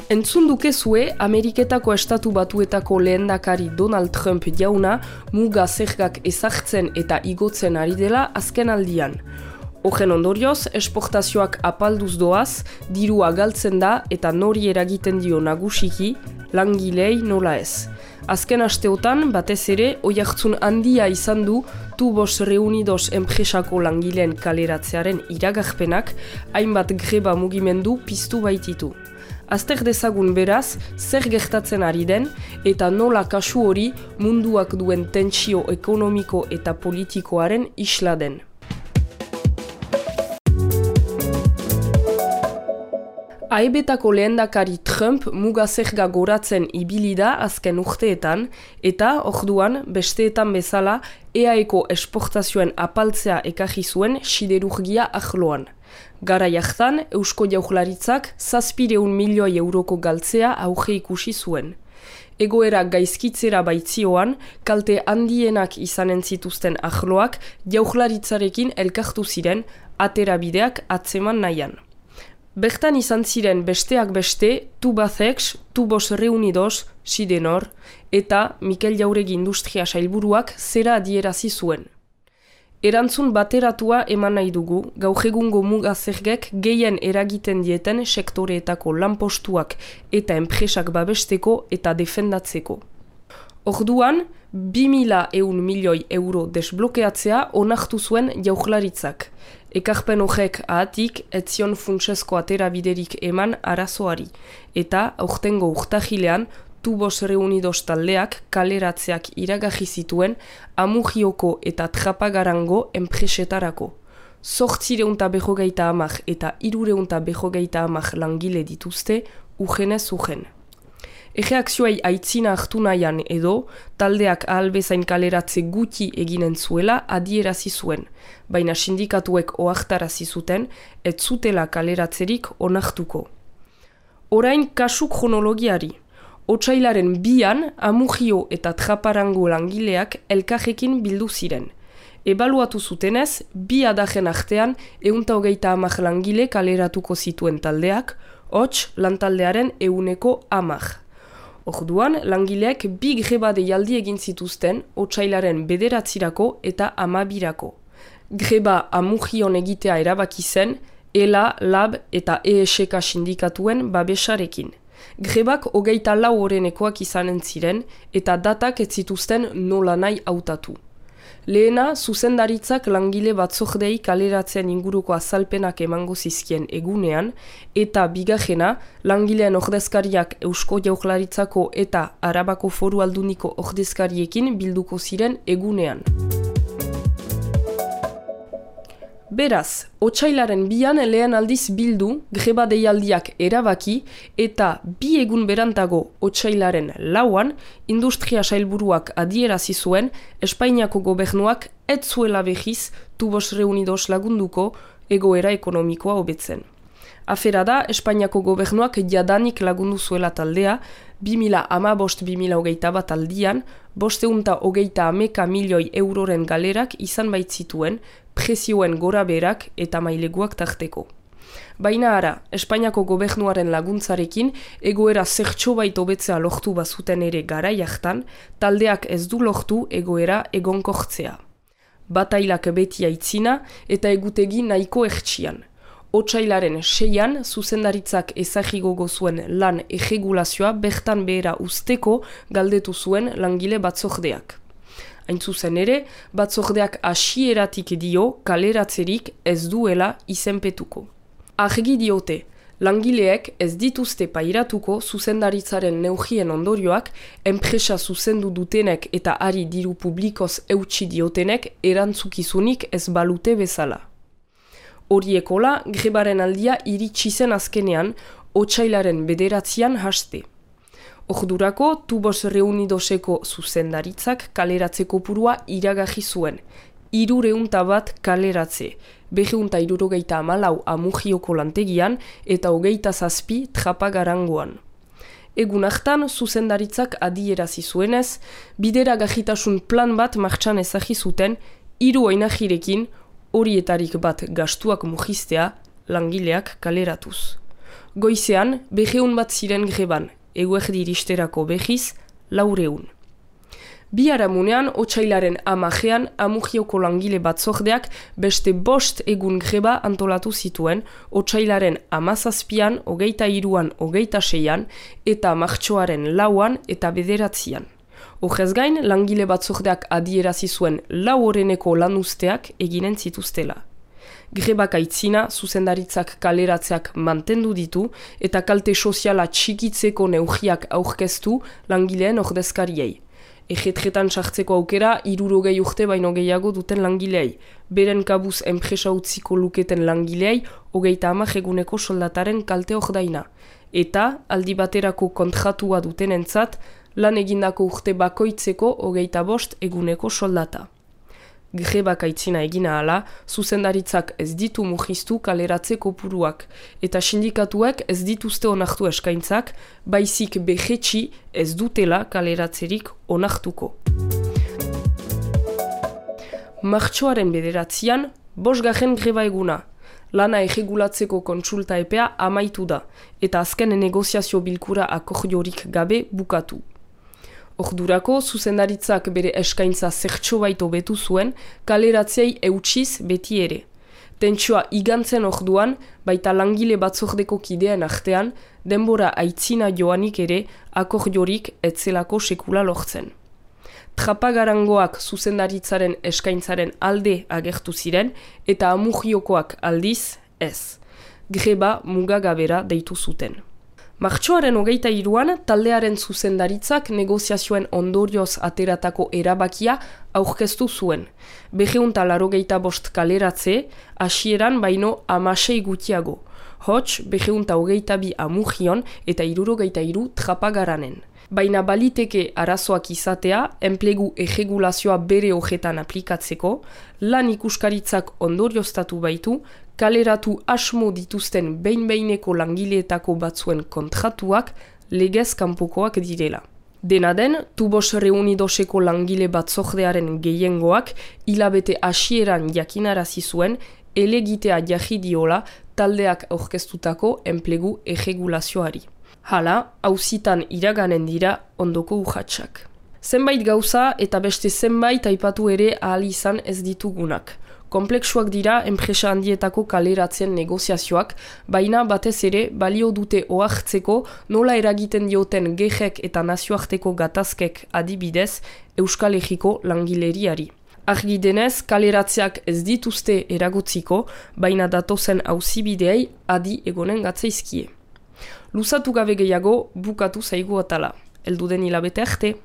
Entzun dukezue, Ameriketako Estatu Batuetako lehendakari Donald Trump jauna muga zergak ezartzen eta igotzen ari dela azken aldian. Horren ondorioz, esportazioak apalduz doaz, dirua galtzen da eta nori eragiten dio nagusiki, langilei nola ez. Azken asteotan, batez ere, oihartzun handia izan du Tubos Reunidos enpresako langileen kaleratzearen iragarpenak, hainbat greba mugimendu piztu baititu. Azter dezagun beraz, zer gertatzen ari den eta nola kasu hori munduak duen tentsio ekonomiko eta politikoaren isla den. AEBetako lehendakari Trump muga zerga goratzen ibili da azken urteetan eta orduan besteetan bezala EAEko esportazioen apaltzea ekarri zuen siderurgia arloan. Garai hartan, Eusko Jaurlaritzak 700 milioi euroko galtzea auge ikusi zuen. Egoera gaizkitzera baitzioan, kalte handienak izanen zituzten arloak Jaurlaritzarekin elkartu ziren aterabideak atzeman nahian. Bertan izan ziren besteak beste Tubacex, Tubos Reunidos, Sidenor eta Mikel Jauregi Industria Sailburuak zera adierazi zuen. Erantzun bateratua eman nahi dugu, gaur egungo muga zergek gehien eragiten dieten sektoreetako lanpostuak eta enpresak babesteko eta defendatzeko. Orduan, 2.100 milioi euro desblokeatzea onartu zuen Jaurlaritzak. Ekarpen horrek ahatik etzion funtsezko aterabiderik eman arazoari, eta aurtengo urtahilean Tubos Reunidos taldeak kaleratzeak iragarri zituen Amugioko eta Trapagarango enpresetarako. 850 eta 350 langile dituzte urgenez urgen. Erreakzioei aitzina hartu nahian edo, taldeak ahalbezain kaleratze guti eginen zuela adierazi zuen, baina sindikatuek ohartarazi zuten ez zutela kaleratzerik onartuko. Orain kasu kronologiari. Otsailaren 2an Amugio eta Traparango langileak elkarrekin bildu ziren. Ebaluatu zutenez, 2 adagen artean 130 langile kaleratuko zituen taldeak, hots lantaldearen 110. Orduan, langileek 2 greba deialdi egin zituzten otsailaren 9 eta 12. Greba Amugion egitea erabaki zen, ELA, LAB eta ESK sindikatuen babesarekin. Grebak 24 horrenekoak izanen ziren eta datak ez zituzten nola nahi hautatu. Lehena, zuzendaritzak langile batzordei kaleratzen inguruko azalpenak emango zizkien egunean, eta bigarrena, langileen ordezkariak Eusko Jaurlaritzako eta Arabako Foru Alduniko ordezkariekin bilduko ziren egunean. Beraz, otsailaren 2an lehen aldiz bildu, greba deialdiak erabaki eta 2 egun berantago otsailaren 4an Industria Sailburuak adierazi zuen Espainiako gobernuak ez zuela behiz Tubos Reunidos lagunduko egoera ekonomikoa hobetzen. Afera da, Espainiako gobernuak jadanik lagundu zuela taldea, 2015-2021 aldian, 530 milioi euroren galerak izan baitzituen, prezioen goraberak eta maileguak tarteko. Baina ara, Espainiako gobernuaren laguntzarekin egoera zertxo bait hobetzea lortu bazuten ere garai hartan, taldeak ez du lortu egoera egonkortzea. Batailak beti aitzina eta egutegi nahiko ertsian. Otsailaren 6an zuzendaritzak ezagigogo zuen lan erregulazioa bertan behera usteko galdetu zuen langile batzordeak. Hain zuzen ere, batzordeak hasieratik dio kaleratzerik ez duela izenpetuko. Argi diote, langileek ez dituzte pairatuko zuzendaritzaren neugien ondorioak, enpresa zuzendu dutenek eta ari diru publikoz eutsi diotenek erantzukizunik ez balute bezala. Horiekola, grebaren aldia iritsi zen azkenean, otsailaren 9an haste. Ordurako, Tubos Reunidoseko zuzendaritzak kaleratze kopurua iragarri zuen. 301 kaleratze, 274 Amugioko lantegian eta 27 Trapagarangoan. Egun hartan, zuzendaritzak adierazi zuenez, bideragajitasun plan bat martxan ezagi zuten 3 oinajirekin, horietarik bat gastuak mugiztea, langileak kaleratuz. Goizean, 200 bat ziren greban, eguerdi iristerako behiz, 400. Biharamunean, otsailaren 10ean, Amugioko langile batzordeak beste 5 egun greba antolatu zituen, otsailaren 17an, 23an, 26an, eta martxoaren 4an eta 9an. Horrez gain, langile batzordeak adierazi zuen 4 oreneko lanuzteak eginen zituztela. Grebak aitzina, zuzendaritzak kaleratzeak mantendu ditu eta kalte soziala txikitzeko neurriak aurkeztu langileen ordezkariei. Egetretan sartzeko aukera 60 urte baino gehiago duten langileei. Beren kabuz enpresa utziko luketen langileei 30 eguneko soldataren kalte ordaina. Eta aldi baterako kontratua dutenentzat lan egindako urte bakoitzeko 25 eguneko soldata. Grebak aitzina egina hala, zuzendaritzak ez ditu murriztu kaleratze kopuruak, eta sindikatuek ez dituzte onartu eskaintzak, baizik behetxi ez dutela kaleratzerik onartuko. Martxoaren 9an, 5. greba eguna. Lana erregulatzeko kontsulta epea amaitu da, eta azken negoziazio bilkura akordiorik gabe bukatu. Ordurako, zuzendaritzak bere eskaintza zertxo baito betu zuen, kaleratzeei eutsiz beti ere. Tentsioa igantzen orduan, baita langile batzordeko kideen artean, denbora aitzina joanik ere, akordiorik etzelako sekula lortzen. Trapagarangoak zuzendaritzaren eskaintzaren alde agertu ziren, eta Amugiokoak aldiz ez. Greba mugagabera deitu zuten. Martxoaren 23an, taldearen zuzendaritzak negoziazioen ondorioz ateratako erabakia aurkeztu zuen. 285 kaleratze, hasieran baino 16 gutiago. Hots, 222 Amugion eta 63 Trapagaranen. Baina baliteke arazoak izatea, enplegu erregulazioa bere hojetan aplikatzeko, lan ikuskaritzak ondorioztatu baitu, kaleratu asmo dituzten behin-behineko langileetako batzuen kontratuak legez kanpokoak direla. Dena den, Tubos Reunidoseko langile batzordearen gehiengoak hilabete hasieran jakinarazi zuen elegitea jarri diola taldeak aurkeztutako enplegu erregulazioari. Hala, auzitan iraganen dira ondoko urratsak. Zenbait gauza eta beste zenbait aipatu ere ahal izan ez ditugunak. Kompleksuak dira enpresa handietako kaleratzen negoziazioak, baina batez ere balio dute ohartzeko nola eragiten dioten gehek eta nazioarteko gatazkek adibidez Euskal Herriko langileriari. Argi denez, kaleratzeak ez dituzte eragotziko, baina datozen auzibideei adi egonen gatzaizkie. Luzatu gabe gehiago, bukatu zaigu atala. Elduden hilabete arte.